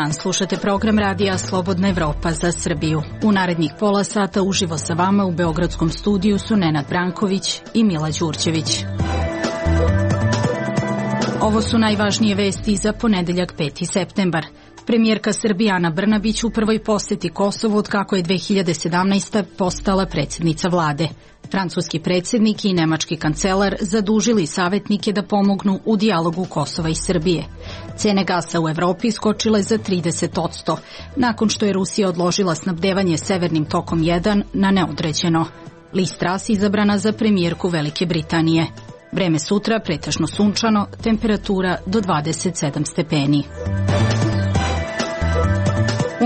dan, slušate program radija Slobodna Evropa za Srbiju. U narednih pola sata uživo sa vama u beogradskom studiju su Nenad Branković i Mila Đurđević. Ovo su najvažnije vesti za ponedeljak 5. septembar. Premijerka Srbije Ana Brnabić u prvoj poseti Kosovu od kako je 2017. postala predsjednica vlade. Francuski predsjednik i nemački kancelar zadužili savjetnike da pomognu u dijalogu Kosova i Srbije. Cene gasa u Evropi skočile za 30%, nakon što je Rusija odložila snabdevanje Severnim tokom 1 na neodređeno. Liz Truss izabrana za premijerku Velike Britanije. Vreme sutra pretežno sunčano, temperatura do 27 stepeni.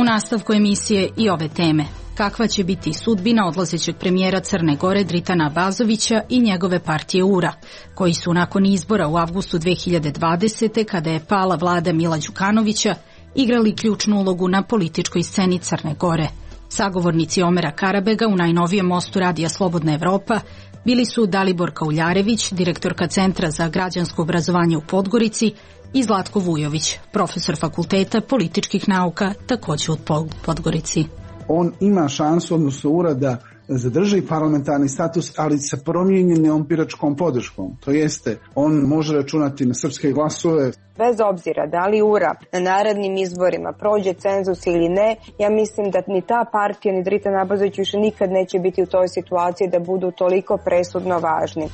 U nastavku emisije i ove teme. Kakva će biti sudbina odlazećeg premijera Crne Gore Dritana Abazovića i njegove partije URA, koji su nakon izbora u avgustu 2020. kada je pala vlada Mila Đukanovića, igrali ključnu ulogu na političkoj sceni Crne Gore. Sagovornici Omera Karabega u najnovijem mostu radija Slobodna Evropa bili su Dalibor Kauljarević, direktorka Centra za građansko obrazovanje u Podgorici, i Zlatko Vujović, profesor Fakulteta političkih nauka, također u Podgorici. On ima šansu, odnosno URA, da zadrži parlamentarni status, ali sa promijenjenom biračkom podrškom. To jeste, on može računati na srpske glasove. Bez obzira da li URA na narednim izborima prođe cenzus ili ne, ja mislim da ni ta partija, ni Dritan Abazović više nikad neće biti u toj situaciji da budu toliko presudno važni.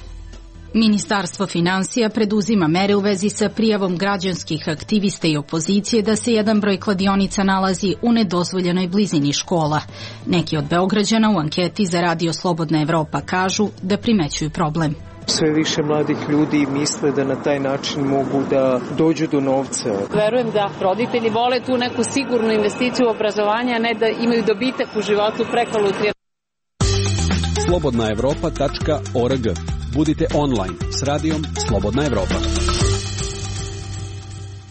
Ministarstvo finansija preduzima mere u vezi sa prijavom građanskih aktivista i opozicije da se jedan broj kladionica nalazi u nedozvoljenoj blizini škola. Neki od Beograđana u anketi za radio Slobodna Evropa kažu da primećuju problem. Sve više mladih ljudi misle da na taj način mogu da dođu do novca. Verujem da roditelji vole tu neku sigurnu investiciju u obrazovanje, a ne da imaju dobitak u životu preko lutrije. slobodnaevropa.org. Budite online s radijom Slobodna Evropa.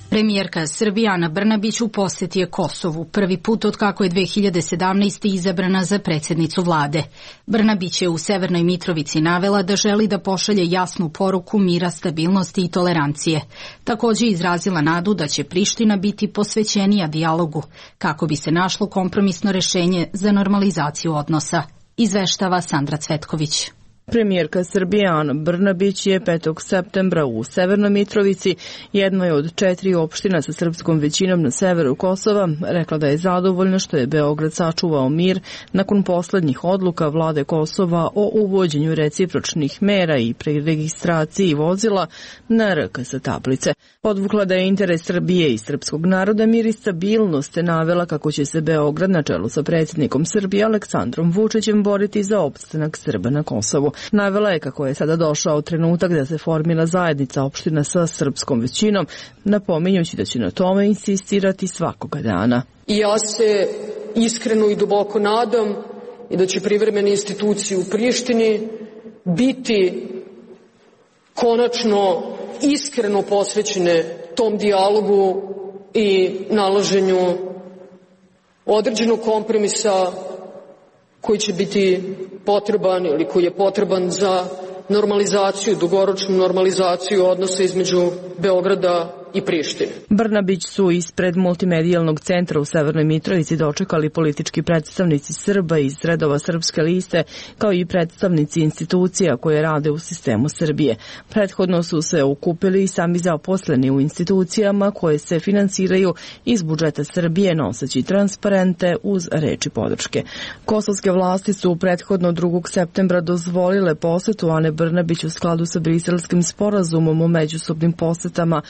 Premijerka Srbije Ana Brnabić u posjeti je Kosovu, prvi put od kako je 2017. izabrana za predsjednicu vlade. Brnabić je u Severnoj Mitrovici navela da želi da pošalje jasnu poruku mira, stabilnosti i tolerancije. Također izrazila nadu da će Priština biti posvećenija dijalogu, kako bi se našlo kompromisno rješenje za normalizaciju odnosa. Izveštava Sandra Cvetković. Premijerka Srbije Ana Brnabić je 5. septembra u Severnoj Mitrovici, jednoj od 4 opština sa srpskom većinom na severu Kosova, rekla da je zadovoljna što je Beograd sačuvao mir nakon poslednjih odluka vlade Kosova o uvođenju recipročnih mera i preregistraciji vozila na RKS tablice. Podvukla da je interes Srbije i srpskog naroda mir i stabilnost, te navela kako će se Beograd na čelu sa predsjednikom Srbije Aleksandrom Vučićem boriti za opstanak Srba na Kosovu. Navela je kako je sada došao trenutak da se formira zajednica opština sa srpskom većinom, napominjući da će na tome insistirati svakoga dana. I ja se iskreno i duboko nadam i da će privremene institucije u Prištini biti konačno iskreno posvećene tom dijalogu i nalaženju određenog kompromisa koji će biti potreban ili koji je potreban za normalizaciju, dugoročnu normalizaciju odnosa između Beograda i Prištine. Brnabić su ispred multimedijalnog centra u Severnoj Mitrovici dočekali politički predstavnici Srba iz redova Srpske liste, kao i predstavnici institucija koje rade u sistemu Srbije. Prethodno su se okupili i sami zaposleni u institucijama koje se finansiraju iz budžeta Srbije, noseći transparente uz reči podrške. Kosovske vlasti su prethodno 2. septembra dozvolile posetu Ane Brnabić u skladu sa Briselskim sporazumom o međusobnim posetama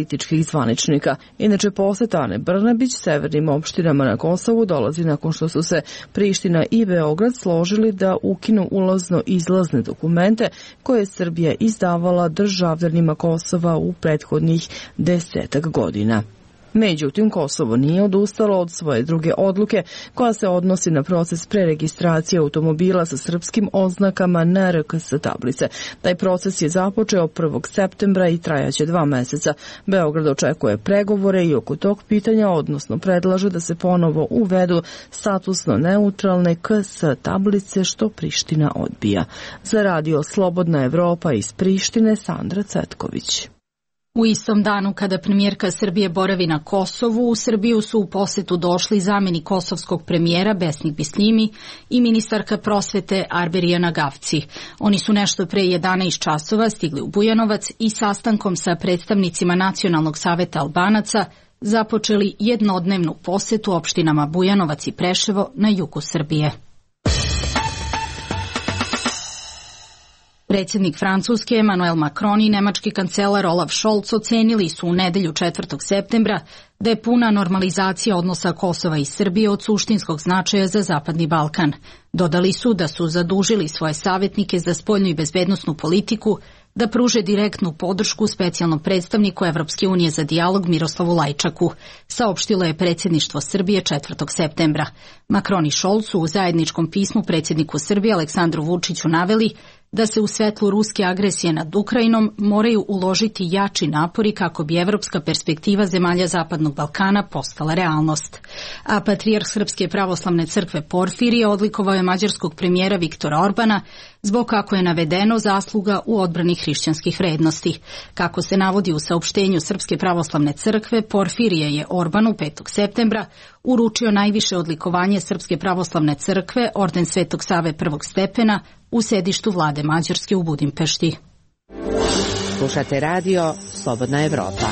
političkih zvaničnika. Inače, poseta Ane Brnabić severnim opštinama na Kosovu dolazi nakon što su se Priština i Beograd složili da ukinu ulazno-izlazne dokumente koje je Srbija izdavala državljanima Kosova u prethodnih 10 godina. Međutim, Kosovo nije odustalo od svoje druge odluke koja se odnosi na proces preregistracije automobila sa srpskim oznakama na RKS tablice. Taj proces je započeo 1. septembra i trajaće 2 meseca. Beograd očekuje pregovore i oko tog pitanja, odnosno predlaže da se ponovo uvedu statusno neutralne KS tablice, što Priština odbija. Za radio Slobodna Evropa iz Prištine, Sandra Cvetković. U istom danu kada premijerka Srbije boravi na Kosovu, u Srbiju su u posetu došli zamenik kosovskog premijera Besnik Bislimi i ministarka prosvete Arberijana Gavci. Oni su nešto pre 11 časova stigli u Bujanovac i sastankom sa predstavnicima Nacionalnog saveta Albanaca započeli jednodnevnu posetu opštinama Bujanovac i Preševo na jugu Srbije. Predsjednik Francuske Emmanuel Macron i nemački kancelar Olaf Scholz ocenili su u nedelju 4. septembra da je puna normalizacija odnosa Kosova i Srbije od suštinskog značaja za Zapadni Balkan. Dodali su da su zadužili svoje savjetnike za spoljnu i bezbednosnu politiku da pruže direktnu podršku specijalnom predstavniku Evropske unije za dijalog Miroslavu Lajčaku, saopštilo je predsjedništvo Srbije 4. septembra. Macron i Scholz su u zajedničkom pismu predsjedniku Srbije Aleksandru Vučiću naveli da se u svetlu ruske agresije nad Ukrajinom moraju uložiti jači napori kako bi evropska perspektiva zemalja Zapadnog Balkana postala realnost. A patrijarh Srpske pravoslavne crkve Porfirije odlikovao je mađarskog premijera Viktora Orbana zbog, kako je navedeno, zasluga u odbrani hrišćanskih vrednosti. Kako se navodi u saopštenju Srpske pravoslavne crkve, Porfirije je Orbanu 5. septembra uručio najviše odlikovanje Srpske pravoslavne crkve, orden Svetog Save prvog stepena, u sedištu vlade Mađarske u Budimpešti. Slušate radio Slobodna Evropa.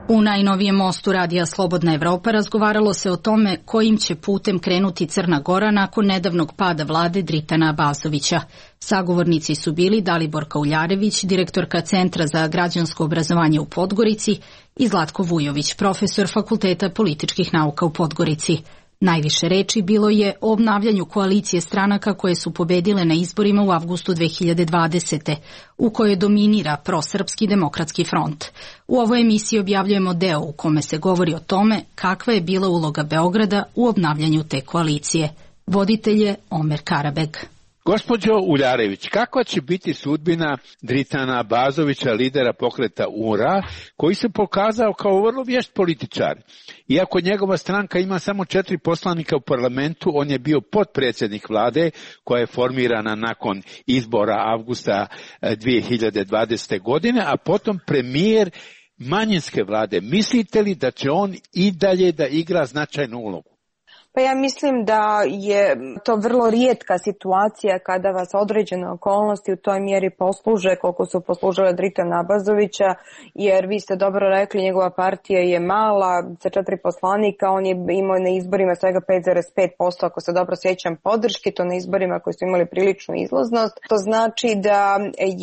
U najnovijem mostu radija Slobodna Evropa razgovaralo se o tome kojim će putem krenuti Crna Gora nakon nedavnog pada vlade Dritana Abazovića. Sagovornici su bili Dalibor Kauljarević, direktorka Centra za građansko obrazovanje u Podgorici, i Zlatko Vujović, profesor Fakulteta političkih nauka u Podgorici. Najviše reči bilo je o obnavljanju koalicije stranaka koje su pobedile na izborima u avgustu 2020. u kojoj dominira prosrpski demokratski front. U ovoj emisiji objavljujemo deo u kome se govori o tome kakva je bila uloga Beograda u obnavljanju te koalicije. Voditelj je Omer Karabeg. Gospođo Uljarević, kakva će biti sudbina Dritana Abazovića, lidera pokreta URA, koji se pokazao kao vrlo vješt političar? Iako njegova stranka ima samo 4 poslanika u parlamentu, on je bio potpredsjednik vlade koja je formirana nakon izbora avgusta 2020. godine, a potom premijer manjinske vlade. Mislite li da će on i dalje da igra značajnu ulogu? Pa ja mislim da je to vrlo rijetka situacija kada vas određene okolnosti u toj mjeri posluže koliko su poslužile Dritana Abazovića, jer vi ste dobro rekli, njegova partija je mala, sa 4 poslanika, on je imao na izborima svega 5,5%, ako se dobro sjećam, podrške, to na izborima koji su imali priličnu izlaznost. To znači da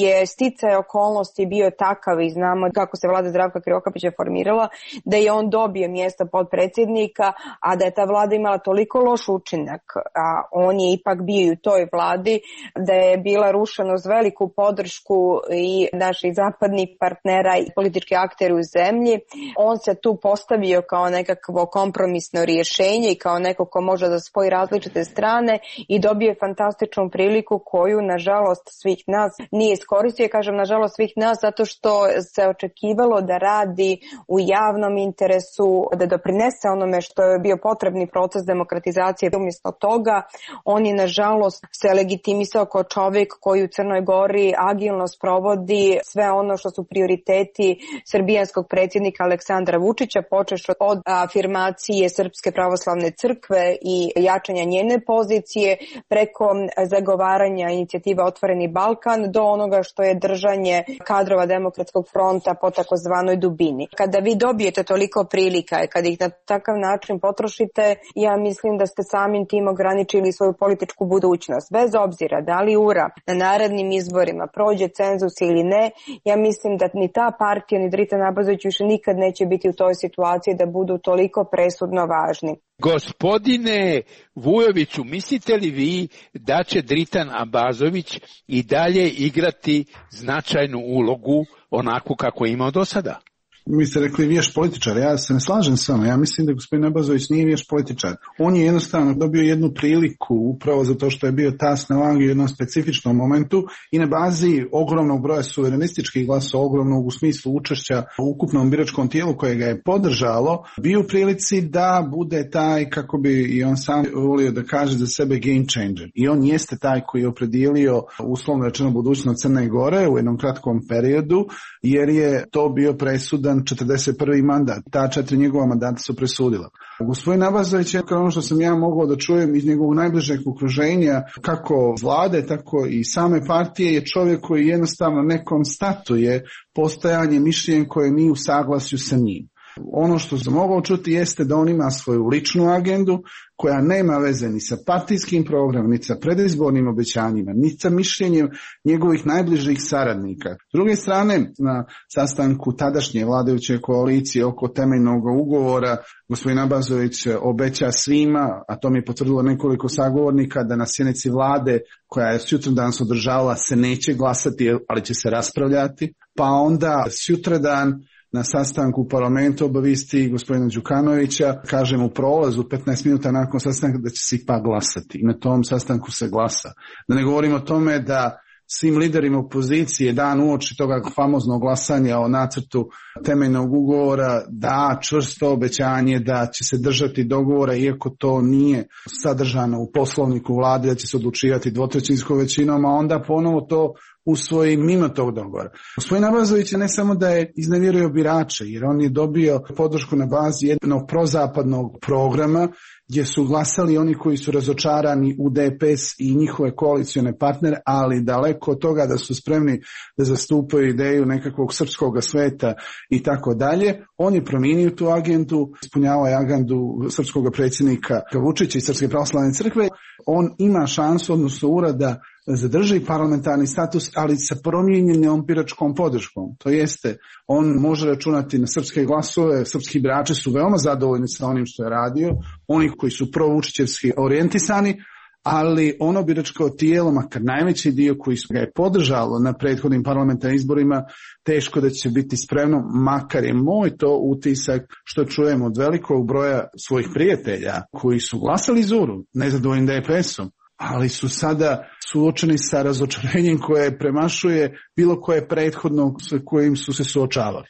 je sticaj okolnosti bio takav i znamo kako se vlada Zdravka Krivokapića formirala, da je on dobio mjesto podpredsjednika, a da je ta vlada imala toliko loš učinak, a on je ipak bio i u toj vladi, da je bila rušena uz veliku podršku i naših zapadnih partnera i politički akteri u zemlji. On se tu postavio kao nekakvo kompromisno rješenje i kao neko ko može da spoji različite strane i dobio fantastičnu priliku koju, nažalost, svih nas nije iskoristio. Kažem, nažalost, svih nas, zato što se očekivalo da radi u javnom interesu, da doprinese onome što je bio potrebni proces demokratizacije. Umjesto toga, on je nažalost se legitimisao kao čovjek koji u Crnoj Gori agilno sprovodi sve ono što su prioriteti srbijanskog predsjednika Aleksandra Vučića, počevši od afirmacije Srpske pravoslavne crkve i jačanja njene pozicije, preko zagovaranja inicijative Otvoreni Balkan, do onoga što je držanje kadrova Demokratskog fronta po takozvanoj dubini. Kada vi dobijete toliko prilika i kada ih na takav način potrošite, ja mislim da ste samim tim ograničili svoju političku budućnost. Bez obzira da li URA na narednim izborima prođe cenzus ili ne, ja mislim da ni ta partija ni Dritan Abazović više nikad neće biti u toj situaciji da budu toliko presudno važni. Gospodine Vujoviću, mislite li vi da će Dritan Abazović i dalje igrati značajnu ulogu onako kako je imao do sada? Mi ste rekli vješt političar, ja se ne slažem s vama, ja mislim da gospodin Abazović nije vješt političar. On je jednostavno dobio jednu priliku upravo zato što je bio tas na vangi u jednom specifičnom momentu i na bazi ogromnog broja suverenističkih glasova, ogromnog u smislu učešća u ukupnom biračkom tijelu koje ga je podržalo, bio u prilici da bude taj, kako bi i on sam volio da kaže za sebe, game changer. I on jeste taj koji je opredijelio uslovno rečeno budućnost Crne Gore u jednom kratkom periodu, jer je to bio presudan 41. mandat. Ta 4 njegova mandata su presudila. Gospodin Abazović je, ono što sam ja mogao da čujem iz njegovog najbližeg okruženja, kako vlade, tako i same partije, je čovjek koji jednostavno ne konstatuje postojanje mišljenja koje nije u saglasju sa njim. Ono što sam mogao čuti jeste da on ima svoju ličnu agendu koja nema veze ni sa partijskim programom, ni sa predizbornim obećanjima, ni sa mišljenjem njegovih najbližih saradnika. S druge strane, na sastanku tadašnje vladajuće koalicije oko temeljnog ugovora, gospodin Abazović obeća svima, a to mi je potvrdilo nekoliko sagovornika, da na sjednici vlade koja je sutradan se održavala se neće glasati, ali će se raspravljati, pa onda sutradan na sastanku u parlamentu obavijesti gospodina Đukanovića, kažem u prolazu 15 minuta nakon sastanka da će se ipak glasati. I na tom sastanku se glasa. Da ne govorimo o tome da svim liderima opozicije dan uoči toga famoznog glasanja o nacrtu temeljnog ugovora da čvrsto obećanje da će se držati dogovora, iako to nije sadržano u poslovniku vlade, da će se odlučivati dvotrećinskom većinom, a onda ponovo to usvoji mimo tog dogovora. Gospodin Abazović je ne samo da je iznevjerio birače, jer on je dobio podršku na bazi jednog prozapadnog programa gdje su glasali oni koji su razočarani u DPS i njihove koalicione partnere, ali daleko od toga da su spremni da zastupaju ideju nekakvog srpskog sveta i tako dalje. On je promijenio tu agendu, ispunjavao je agendu srpskog predsjednika Vučića i Srpske pravoslavne crkve. On ima šansu, odnosno urada, zadrži parlamentarni status, ali sa promijenjenom biračkom podrškom. To jeste, on može računati na srpske glasove, srpski birači su veoma zadovoljni sa onim što je radio, oni koji su provučićevski orijentisani, ali ono biračko tijelo, makar najveći dio koji su ga je podržalo na prethodnim parlamentarnim izborima, teško da će biti spremno, makar je moj to utisak što čujem od velikog broja svojih prijatelja koji su glasali Zuru, nezadovoljni DPS-om, ali su sada suočeni sa razočarenjem koje premašuje bilo koje prethodno s kojim su se suočavali.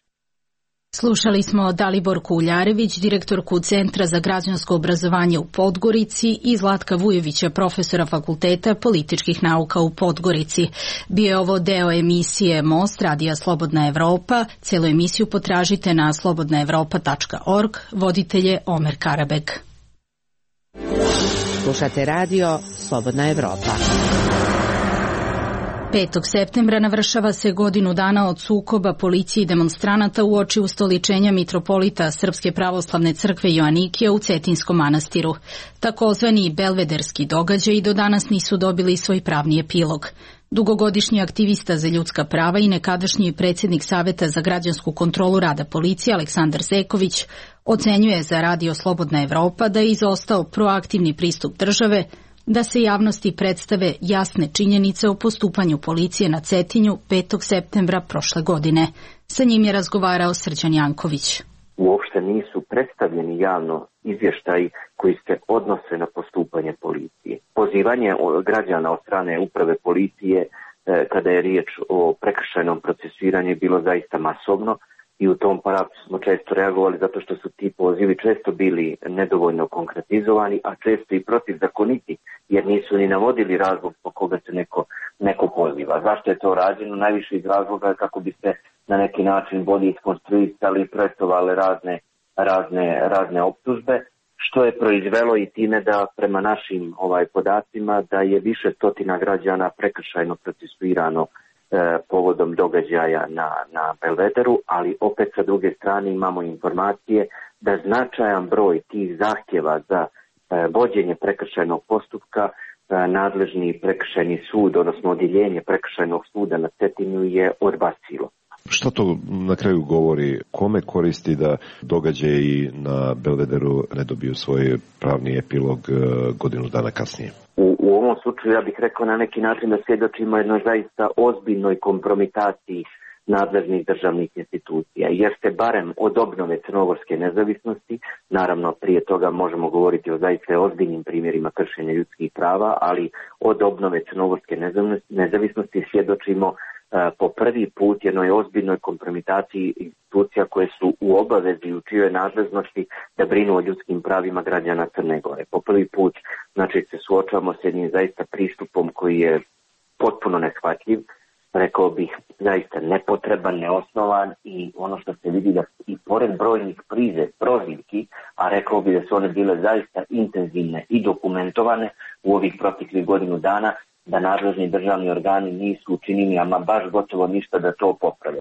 Slušali smo Daliborku Uljarević, direktorku Centra za građansko obrazovanje u Podgorici, i Zlatka Vujovića, profesora Fakulteta političkih nauka u Podgorici. Bio je ovo deo emisije Most Radija Slobodna Evropa. Celu emisiju potražite na slobodnaevropa.org. Voditelj je Omer Karabek. Slušate radio Slobodna Evropa. 5. septembra navršava se godinu dana od sukoba policije i demonstranata uoči ustoličenja mitropolita Srpske pravoslavne crkve Joanikija u Cetinskom manastiru. Takozvani belvederski događaji do danas nisu dobili svoj pravni epilog. Dugogodišnji aktivista za ljudska prava i nekadašnji predsjednik Saveta za građansku kontrolu rada policije Aleksandar Zeković ocenjuje za Radio Slobodna Evropa da je izostao proaktivni pristup države da se javnosti predstave jasne činjenice o postupanju policije na Cetinju 5. septembra prošle godine. Sa njim je razgovarao Srđan Janković. Uopšte nisu predstavljeni javno izvještaji koji se odnose na postupanje policije. Pozivanje građana od strane uprave policije kada je riječ o prekršajnom procesuiranju je bilo zaista masovno i u tom pravcu smo često reagovali zato što su ti pozivi često bili nedovoljno konkretizovani, a često i protivzakoniti, jer nisu ni navodili razlog po koga se neko poziva. Zašto je to rađeno? Najviše iz razloga kako bi se na neki način bolje iskonstruisali i projektovale razne optužbe, što je proizvelo i time da prema našim podacima da je više stotina građana prekršajno procesuirano povodom događaja na Belvederu, ali opet sa druge strane imamo informacije da značajan broj tih zahtjeva za vođenje prekršajnog postupka nadležni prekršajni sud, odnosno odjeljenje prekršajnog suda na Cetinju je odbacilo. Što to na kraju govori? Kome koristi da događaji na Belvederu ne dobiju svoj pravni epilog godinu dana kasnije? U ovom slučaju ja bih rekao na neki način da svjedočimo jednoj zaista ozbiljnoj kompromitaciji nadležnih državnih institucija, jer se barem od obnove crnogorske nezavisnosti, naravno prije toga možemo govoriti o zaista ozbiljnim primjerima kršenja ljudskih prava, ali od obnove crnogorske nezavisnosti svjedočimo po prvi put jednoj ozbiljnoj kompromitaciji institucija koje su u obavezi u čijoj nadležnosti da brinu o ljudskim pravima građana Crne Gore. Po prvi put znači se suočavamo s jednim zaista pristupom koji je potpuno neshvatljiv, rekao bih zaista nepotreban, neosnovan i ono što se vidi da i pored brojnih prozivki, a rekao bih da su one bile zaista intenzivne i dokumentovane u ovih proteklih godinu dana, da nadležni državni organi nisu učinili ama baš gotovo ništa da to poprave.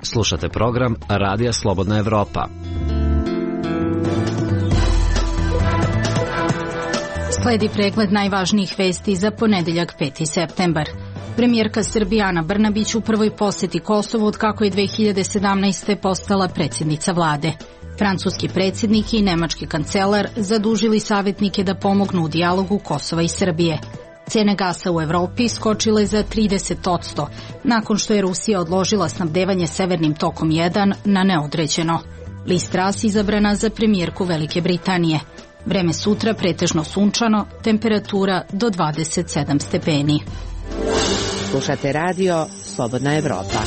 Slušate program Radija Slobodna Evropa. Sledi pregled najvažnijih vesti za ponedeljak 5. septembar. Premijerka Srbije Ana Brnabić u prvoj poseti Kosovu od kako je 2017. postala predsjednica vlade. Francuski predsjednik i nemački kancelar zadužili savjetnike da pomognu u dijalogu Kosova i Srbije. Cene gasa u Evropi skočile za 30% nakon što je Rusija odložila snabdevanje Severnim tokom 1 na neodređeno. Liz Truss izabrana za premijerku Velike Britanije. Vreme sutra pretežno sunčano, temperatura do 27 stepeni. Slušate radio Slobodna Evropa.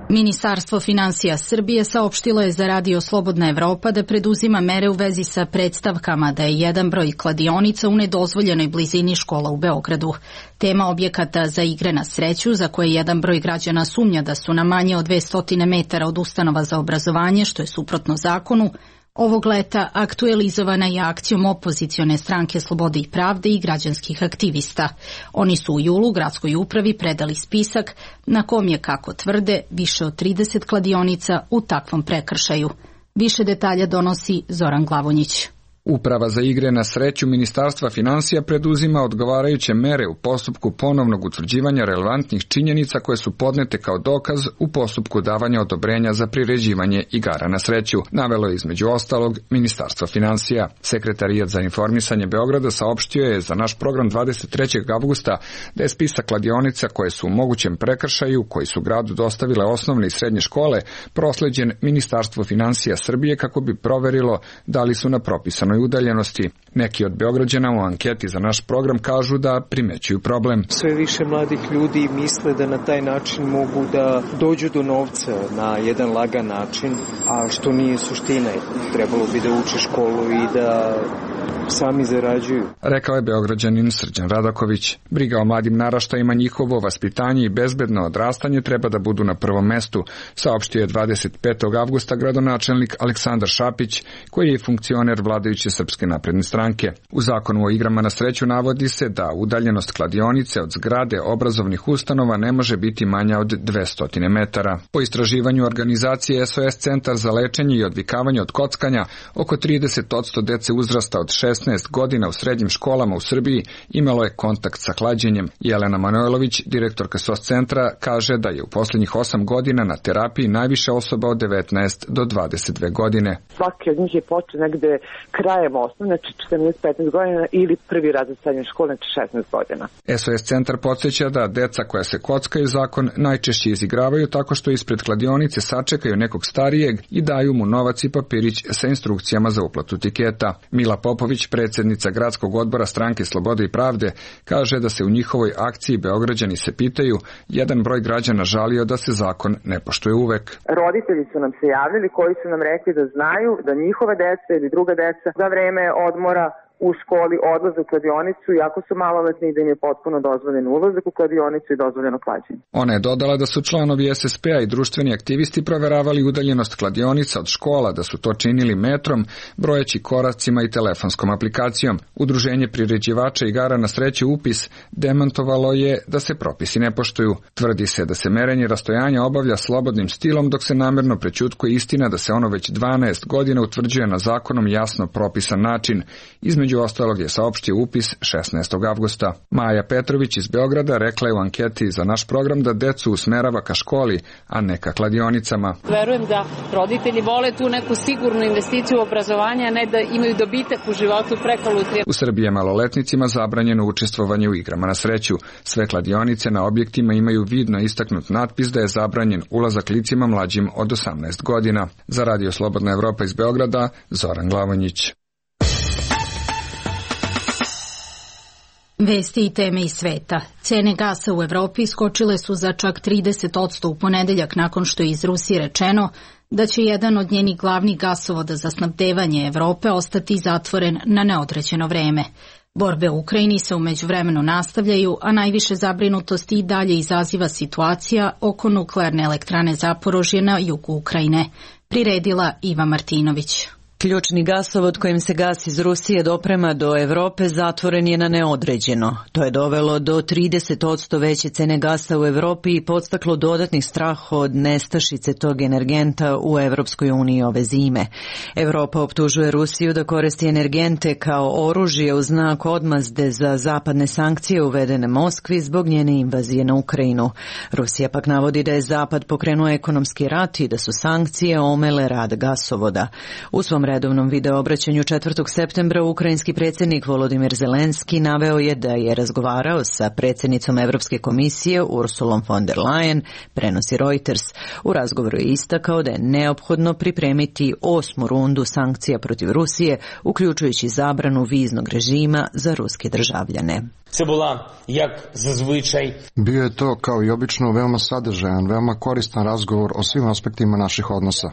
Ministarstvo finansija Srbije saopštilo je za radio Slobodna Evropa da preduzima mere u vezi sa predstavkama da je jedan broj kladionica u nedozvoljenoj blizini škola u Beogradu. Tema objekata za igre na sreću, za koje jedan broj građana sumnja da su na manje od 200 metara od ustanova za obrazovanje, što je suprotno zakonu, ovog leta aktualizovana je akcijom opozicione stranke Slobode i pravde i građanskih aktivista. Oni su u julu gradskoj upravi predali spisak na kom je, kako tvrde, više od 30 kladionica u takvom prekršaju. Više detalja donosi Zoran Glavonjić. Uprava za igre na sreću Ministarstva finansija preduzima odgovarajuće mere u postupku ponovnog utvrđivanja relevantnih činjenica koje su podnete kao dokaz u postupku davanja odobrenja za priređivanje igara na sreću, navelo je između ostalog Ministarstvo finansija. Sekretarijat za informisanje Beograda saopštio je za naš program 23. avgusta da je spisak kladionica koje su u mogućem prekršaju, koji su gradu dostavile osnovne i srednje škole, prosleđen Ministarstvu finansija Srbije kako bi proverilo da li su na propisanoj udaljenosti. Neki od Beograđana u anketi za naš program kažu da primećuju problem. Sve više mladih ljudi misle da na taj način mogu da dođu do novca na jedan lagan način, a što nije suština. Trebalo bi da uče školu i da sami zarađuju. Rekao je Beograđanin Srđan Radaković. Briga o mladim naraštajima, njihovo vaspitanje i bezbedno odrastanje treba da budu na prvom mestu, saopštio je 25. avgusta gradonačelnik Aleksandar Šapić, koji je funkcioner vladajuće Srpske napredne stranke. U zakonu o igrama na sreću navodi se da udaljenost kladionice od zgrade obrazovnih ustanova ne može biti manja od 200 metara. Po istraživanju organizacije SOS Centar za lečenje i odvikavanje od kockanja, oko 30% dece uzrasta od 16 godina u srednjim školama u Srbiji imalo je kontakt sa klađenjem. Jelena Manojlović, direktorka SOS Centra, kaže da je u posljednjih 8 godina na terapiji najviše osoba od 19 do 22 godine. Svaki od njih je počeo negde krajem osnovne, znači 14-15 godina ili prvi razred srednje škole, znači 16 godina. SOS Centar podsjeća da deca koja se kockaju zakon najčešće izigravaju tako što ispred kladionice sačekaju nekog starijeg i daju mu novac i papirić sa instrukcijama za uplatu tiketa. Mila Popović, predsjednica gradskog odbora stranke Slobode i pravde, kaže da se u njihovoj akciji Beograđani se pitaju, jedan broj građana žalio da se zakon ne poštuje uvek. Roditelji su nam se javljali koji su nam rekli da znaju da njihove deca ili druga deca za vreme odmora u školi odlaze u kladionicu, iako su maloletni i da im je potpuno dozvoljen ulazak u kladionicu i dozvoljeno klađenje. Ona je dodala da su članovi SSP-a i društveni aktivisti proveravali udaljenost kladionica od škola, da su to činili metrom, brojeći koracima i telefonskom aplikacijom. Udruženje priređivača igara na sreću UPIS demantovalo je da se propisi ne poštuju. Tvrdi se da se merenje rastojanja obavlja slobodnim stilom, dok se namerno prećutkuje istina da se ono već 12 godina utvrđuje na zakonom jasno propisan način. Između između ostalog je saopštio upis 16. avgusta. Maja Petrović iz Beograda rekla je u anketi za naš program da decu usmerava ka školi, a ne ka kladionicama. Verujem da roditelji vole tu neku sigurnu investiciju u obrazovanje, a ne da imaju dobitak u životu preko lutrije. U Srbiji je maloletnicima zabranjeno učestvovanje u igrama na sreću. Sve kladionice na objektima imaju vidno istaknut natpis da je zabranjen ulazak licima mlađim od 18 godina. Za Radio Slobodna Evropa iz Beograda, Zoran Glavonjić. Vesti i teme iz sveta. Cene gasa u Evropi skočile su za čak 30% u ponedeljak nakon što je iz Rusije rečeno da će jedan od njenih glavnih gasovoda za snabdevanje Evrope ostati zatvoren na neodređeno vreme. Borbe u Ukrajini se u međuvremenu nastavljaju, a najviše zabrinutosti i dalje izaziva situacija oko nuklearne elektrane Zaporožje na jugu Ukrajine. Priredila Iva Martinović. Ključni gasovod kojim se gas iz Rusije doprema do Evrope zatvoren je na neodređeno. To je dovelo do 30% veće cene gasa u Evropi i podstaklo dodatni strah od nestašice tog energenta u Evropskoj uniji ove zime. Evropa optužuje Rusiju da koristi energente kao oružje u znak odmazde za zapadne sankcije uvedene Moskvi zbog njene invazije na Ukrajinu. Rusija pak navodi da je Zapad pokrenuo ekonomski rat i da su sankcije omele rad gasovoda. U svom redovnom videoobraćanju 4. septembra ukrajinski predsjednik Volodimir Zelenski naveo je da je razgovarao sa predsjednicom Evropske komisije Ursulom von der Leyen, prenosi Reuters. U razgovoru je istakao da je neophodno pripremiti 8. rundu sankcija protiv Rusije, uključujući zabranu viznog režima za ruske državljane. Bio je to, kao i obično, veoma sadržajan, veoma koristan razgovor o svim aspektima naših odnosa.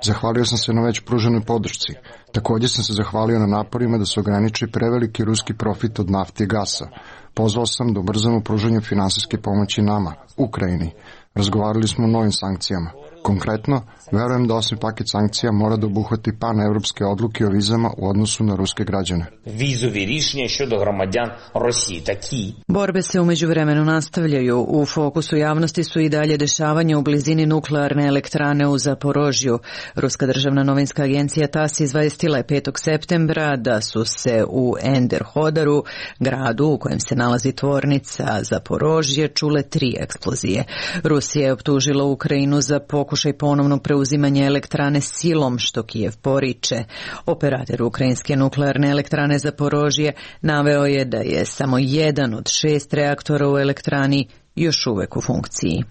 Zahvalio sam se na već pruženoj podršci. Također sam se zahvalio na naporima da se ograniči preveliki ruski profit od nafte i gasa. Pozvao sam da ubrzamo pružanje finansijske pomoći nama, Ukrajini. Razgovarali smo o novim sankcijama. Konkretno, verujem da osim paket sankcija mora da obuhvati paneuropske odluke o vizama u odnosu na ruske građane. Vizovi rješenja щодо громадян Росії такі. Borbe se u međuvremenu nastavljaju. U fokusu javnosti su i dalje dešavanja u blizini nuklearne elektrane u Zaporožju. Ruska državna novinska agencija TASS izvestila je 5. septembra da su se u Enderhodaru, gradu u kojem se nalazi tvornica Zaporožje, čule 3 eksplozije. Rusija je optužila Ukrajinu za pokušaj ponovnog preuzimanja elektrane silom, što Kijev poriče. Operator ukrajinske nuklearne elektrane Zaporožje naveo je da je samo jedan od 6 reaktora u elektrani još uvek u funkciji.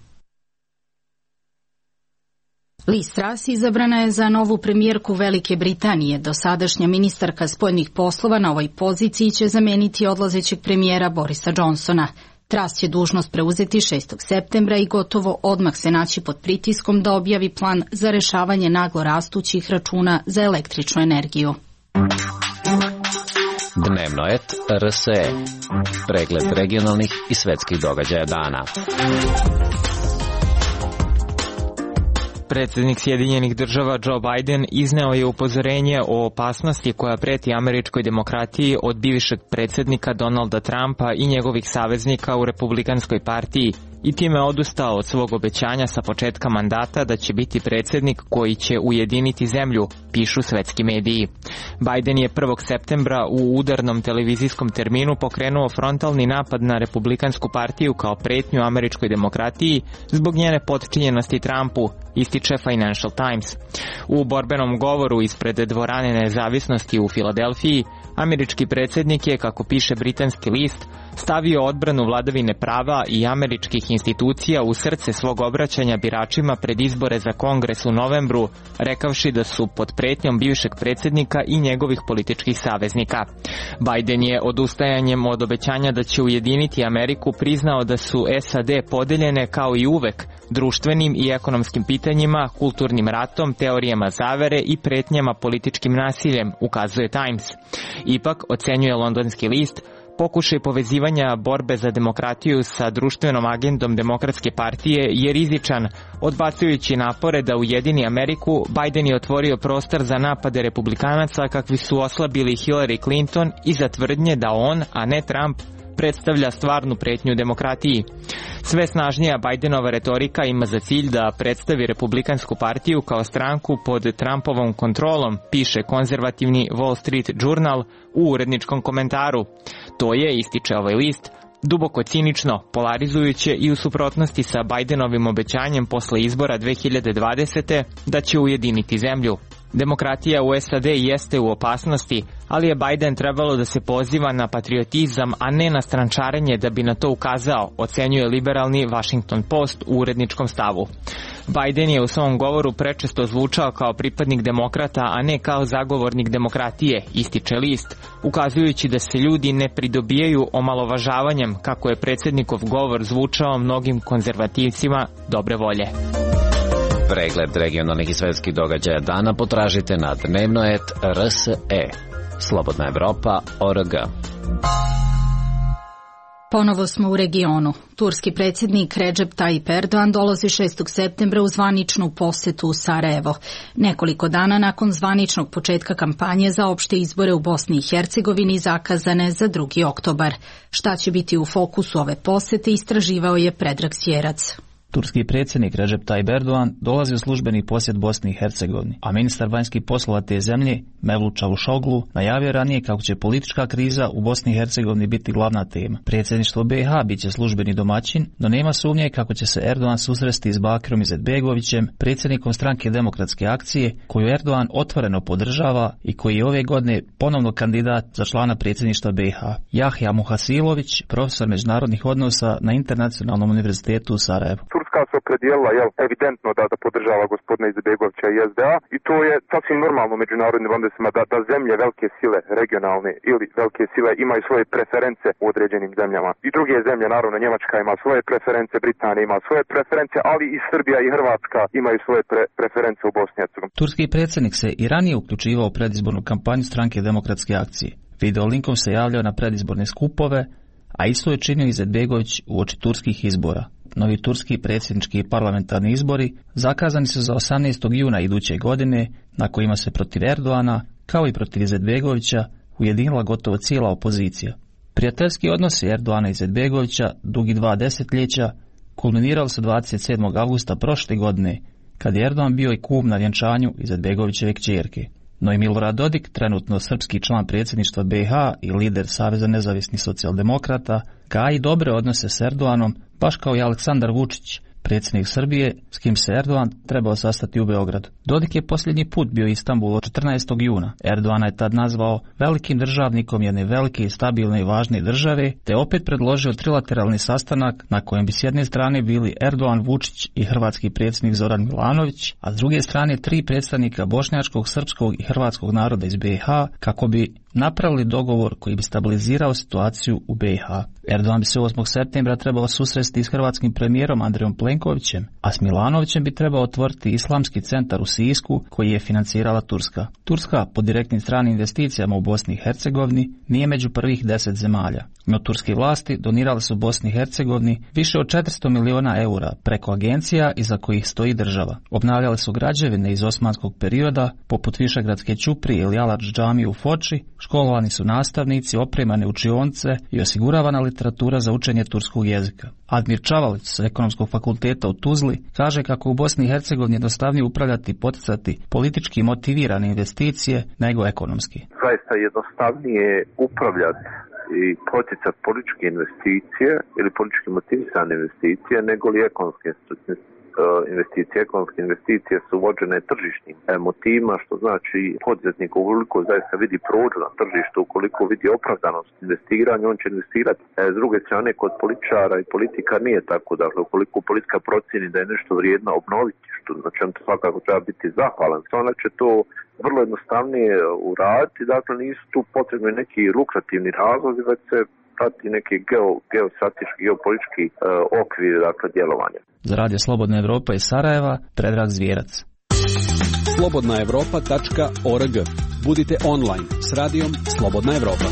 Liz Truss izabrana je za novu premijerku Velike Britanije. Dosadašnja ministarka spoljnih poslova na ovoj poziciji će zameniti odlazećeg premijera Borisa Johnsona. Truss će dužnost preuzeti 6. septembra i gotovo odmah se naći pod pritiskom da objavi plan za rešavanje naglo rastućih računa za električnu energiju. Dnevno et RSE. Pregled regionalnih i svetskih događaja dana. Predsjednik Sjedinjenih država Joe Biden izneo je upozorenje o opasnosti koja preti američkoj demokratiji od bivšeg predsjednika Donalda Trumpa i njegovih saveznika u Republikanskoj partiji i time odustao od svog obećanja sa početka mandata da će biti predsjednik koji će ujediniti zemlju, pišu svetski mediji. Biden je 1. septembra u udarnom televizijskom terminu pokrenuo frontalni napad na Republikansku partiju kao pretnju američkoj demokratiji zbog njene potčinjenosti Trumpu, ističe Financial Times. U borbenom govoru ispred dvorane Nezavisnosti u Filadelfiji, američki predsjednik je, kako piše britanski list, stavio odbranu vladavine prava i američkih institucija u srce svog obraćanja biračima pred izbore za Kongres u novembru, rekavši da su pod pretnjom bivšeg predsjednika i njegovih političkih saveznika. Biden je odustajanjem od obećanja da će ujediniti Ameriku priznao da su SAD podeljene kao i uvek društvenim i ekonomskim pitanjima, kulturnim ratom, teorijama zavere i pretnjama političkim nasiljem, ukazuje Times. Ipak, ocenjuje londonski list, pokušaj povezivanja borbe za demokratiju sa društvenom agendom Demokratske partije je rizičan. Odbacujući napore da ujedini Ameriku, Biden je otvorio prostor za napade republikanaca kakvi su oslabili Hillary Clinton i za tvrdnje da on, a ne Trump, predstavlja stvarnu pretnju demokratiji. Sve snažnija Bajdenova retorika ima za cilj da predstavi Republikansku partiju kao stranku pod Trumpovom kontrolom, piše konzervativni Wall Street Journal u uredničkom komentaru. To je, ističe ovaj list, duboko cinično, polarizujuće i u suprotnosti sa Bajdenovim obećanjem posle izbora 2020. da će ujediniti zemlju. Demokratija u SAD jeste u opasnosti, ali je Biden trebalo da se poziva na patriotizam, a ne na strančarenje da bi na to ukazao, ocenjuje liberalni Washington Post u uredničkom stavu. Biden je u svom govoru prečesto zvučao kao pripadnik demokrata, a ne kao zagovornik demokratije, ističe list, ukazujući da se ljudi ne pridobijaju omalovažavanjem, kako je predsjednikov govor zvučao mnogim konzervativcima dobre volje. Pregled regionalnih i svetskih događaja dana potražite na dnevnoet.rse. Slobodna Evropa.org. Ponovo smo u regionu. Turski predsjednik Recep Tayyip Erdogan dolazi 6. septembra u zvaničnu posetu u Sarajevo. Nekoliko dana nakon zvaničnog početka kampanje za opšte izbore u Bosni i Hercegovini zakazane za 2. oktobar. Šta će biti u fokusu ove posete istraživao je Predrag Sjerac. Turski predsjednik Recep Tayyip Erdogan dolazi u službeni posjet Bosni i Hercegovini, a ministar vanjskih poslova te zemlje, Mevlut Čavusoglu, najavio ranije kako će politička kriza u Bosni i Hercegovini biti glavna tema. Predsjedništvo BiH biće službeni domaćin, no nema sumnje kako će se Erdogan susresti s Bakirom Izetbegovićem, predsjednikom stranke Demokratske akcije, koju Erdogan otvoreno podržava i koji je ove godine ponovno kandidat za člana predsjedništva BiH. Jahja Muhasilović, profesor međunarodnih odnosa na Internacionalnom univerzitetu u Sarajevu. Turska se opredijelila evidentno da podržava gospodina Izetbegovića i SDA i to je sasvim normalno u međunarodnim odnosima da zemlje velike sile, regionalne ili velike sile imaju svoje preference u određenim zemljama. I druge zemlje, naravno Njemačka ima svoje preference, Britanija ima svoje preference, ali i Srbija i Hrvatska imaju svoje preference u Bosni i Hercegovini. Turski predsjednik se i ranije uključivao u predizbornu kampanju stranke Demokratske akcije. Video linkom se javljao na predizborne skupove, a isto je činio Izetbegović uoči turskih izbora. Novi turski predsjednički i parlamentarni izbori zakazani su za 18. juna iduće godine, na kojima se protiv Erdoana, kao i protiv Izetbegovića, ujedinila gotovo cijela opozicija. Prijateljski odnosi Erdoana i Izetbegovića, dugi 2 desetljeća, kulminirali su 27. avgusta prošle godine, kad je Erdogan bio i kum na vjenčanju Izetbegovićeve kćerke. No i Milorad Dodik, trenutno srpski član predsjedništva BiH i lider Saveza nezavisnih socijaldemokrata, gaji dobre odnose s Erdoganom, baš kao i Aleksandar Vučić, predsjednik Srbije, s kim se Erdogan trebao sastati u Beogradu. Dodik je posljednji put bio u Istanbulu 14. juna. Erdogan je tad nazvao velikim državnikom jedne velike i stabilne i važne države, te opet predložio trilateralni sastanak na kojem bi s jedne strane bili Erdogan, Vučić i hrvatski predsjednik Zoran Milanović, a s druge strane 3 predstavnika bošnjačkog, srpskog i hrvatskog naroda iz BiH, kako bi napravili dogovor koji bi stabilizirao situaciju u BiH. Erdogan bi se 8. septembra trebao susresti s hrvatskim premijerom Andrejom Plenkovićem, a s Milanovićem bi trebao otvoriti islamski centar u Sisku koji je financirala Turska. Turska po direktnim stranim investicijama u Bosni i Hercegovini nije među prvih 10 zemalja. No turske vlasti donirale su Bosni i Hercegovini više od 400 miliona eura preko agencija iza kojih stoji država. Obnavljale su građevine iz osmanskog perioda, poput Višegradske ćuprije ili Aladž džamije u Foči, školovani su nastavnici, opremane učionice i osiguravana literatura za učenje turskog jezika. Admir Čavalić s Ekonomskog fakulteta u Tuzli kaže kako u Bosni i Hercegovini jednostavnije upravljati i poticati politički motivirane investicije nego ekonomski. Zaista jednostavnije upravljati i poticati političke investicije ili politički motivisane investicije nego li ekonomske investicije. Ekonomske investicije su vođene tržišnim motivima, što znači poduzetnik ukoliko zaista vidi prođu na tržištu, ukoliko vidi opravdanost investiranja, on će investirati. S druge strane, kod političara i politika nije tako. Dakle, ukoliko politika procjeni da je nešto vrijedno obnoviti, što znači on to svakako treba biti zahvalan, onda će to vrlo jednostavnije uraditi. Dakle, nisu tu potrebni neki lukrativni razlozi, već se prati neki geostrateški, geopolitički okvir, dakle, djelovanja. Za Radio Slobodna Evropa iz Sarajeva, Predrag Zvijerac. slobodnaevropa.org. Budite online s radijom Slobodna Evropa.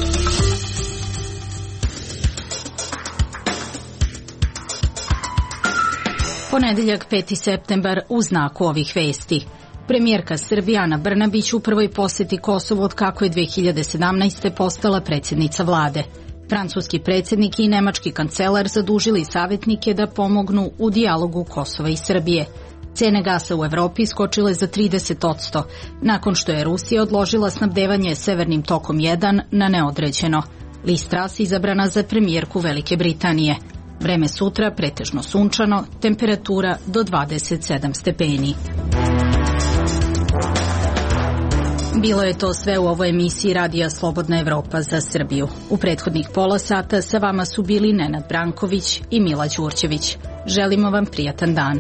Ponedeljak 5. septembar u znaku ovih vesti. Premijerka Srbije Ana Brnabić u prvoj posjeti Kosovu od kako je 2017. postala predsjednica vlade. Francuski predsjednik i nemački kancelar zadužili savjetnike da pomognu u dijalogu Kosova i Srbije. Cene gasa u Evropi skočile za 30%, nakon što je Rusija odložila snabdevanje Severnim tokom 1 na neodređeno. Liz Truss izabrana za premijerku Velike Britanije. Vreme sutra pretežno sunčano, temperatura do 27 stepeni. Bilo je to sve u ovoj emisiji Radija Slobodna Evropa za Srbiju. U prethodnih pola sata sa vama su bili Nenad Branković i Mila Đurđević. Želimo vam prijatan dan.